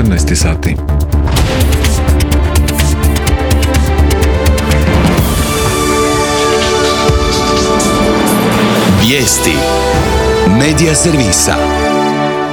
14 sati. Vijesti Medija servisa.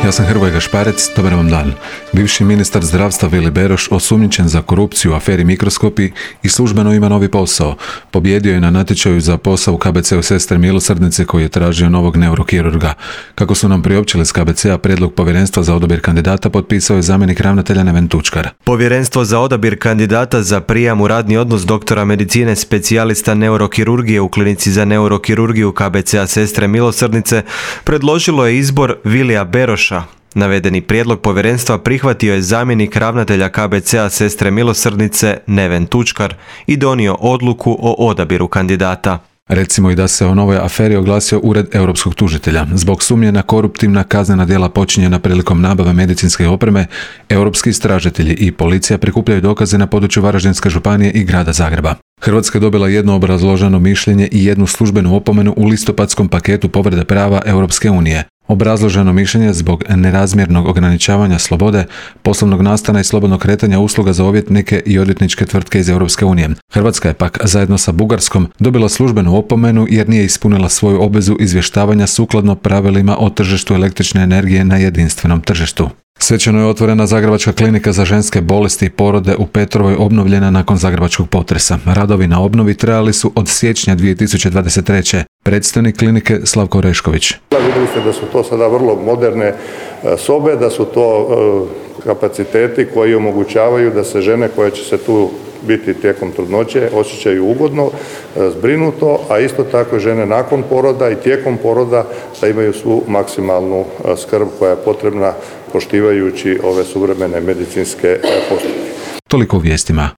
Ja sam Hrvoje Gašparec, dobar vam dan. Bivši ministar zdravstva Vili Beroš, osumnjičen za korupciju u aferi Mikroskopi i službeno ima novi posao. Pobjedio je na natječaju za posao u KBC-u Sestre Milosrdnice koji je tražio novog neurokirurga. Kako su nam priopćili iz KBC-a, prijedlog povjerenstva za odabir kandidata potpisao je zamjenik ravnatelja Neven Tučkar. Povjerenstvo za odabir kandidata za prijam u radni odnos doktora medicine specijalista neurokirurgije u klinici za neurokirurgiju KBC-a Sestre Milosrdnice predložilo je izbor Vilija Beroša. Navedeni prijedlog povjerenstva prihvatio je zamjenik ravnatelja KBC-a Sestre Milosrdnice Neven Tučkar i donio odluku o odabiru kandidata. Recimo i da se o novoj aferi oglasio Ured europskog tužitelja. Zbog sumnje na koruptivna kaznena djela počinjena prilikom nabave medicinske opreme, europski istražitelji i policija prikupljaju dokaze na području Varaždinske županije i grada Zagreba. Hrvatska je dobila jedno obrazloženo mišljenje i jednu službenu opomenu u listopadskom paketu povrede prava Europske unije. Obrazloženo mišljenje zbog nerazmjernog ograničavanja slobode, poslovnog nastana i slobodnog kretanja usluga za odvjetnike i odvjetničke tvrtke iz Europske unije. Hrvatska je pak zajedno sa Bugarskom dobila službenu opomenu jer nije ispunila svoju obvezu izvještavanja sukladno pravilima o tržištu električne energije na jedinstvenom tržištu. Svečano je otvorena Zagrebačka klinika za ženske bolesti i porode u Petrovoj, obnovljena nakon zagrebačkog potresa. Radovi na obnovi trajali su od siječnja 2023. Predstojnik klinike Slavko Orešković. Vidjeli ste da su to sada vrlo moderne sobe, da su to kapaciteti koji omogućavaju da se žene koje će se tu biti tijekom trudnoće osjećaju ugodno, zbrinuto, a isto tako žene nakon poroda i tijekom poroda da imaju svu maksimalnu skrb koja je potrebna poštivajući ove suvremene medicinske postupke. Toliko u vijestima.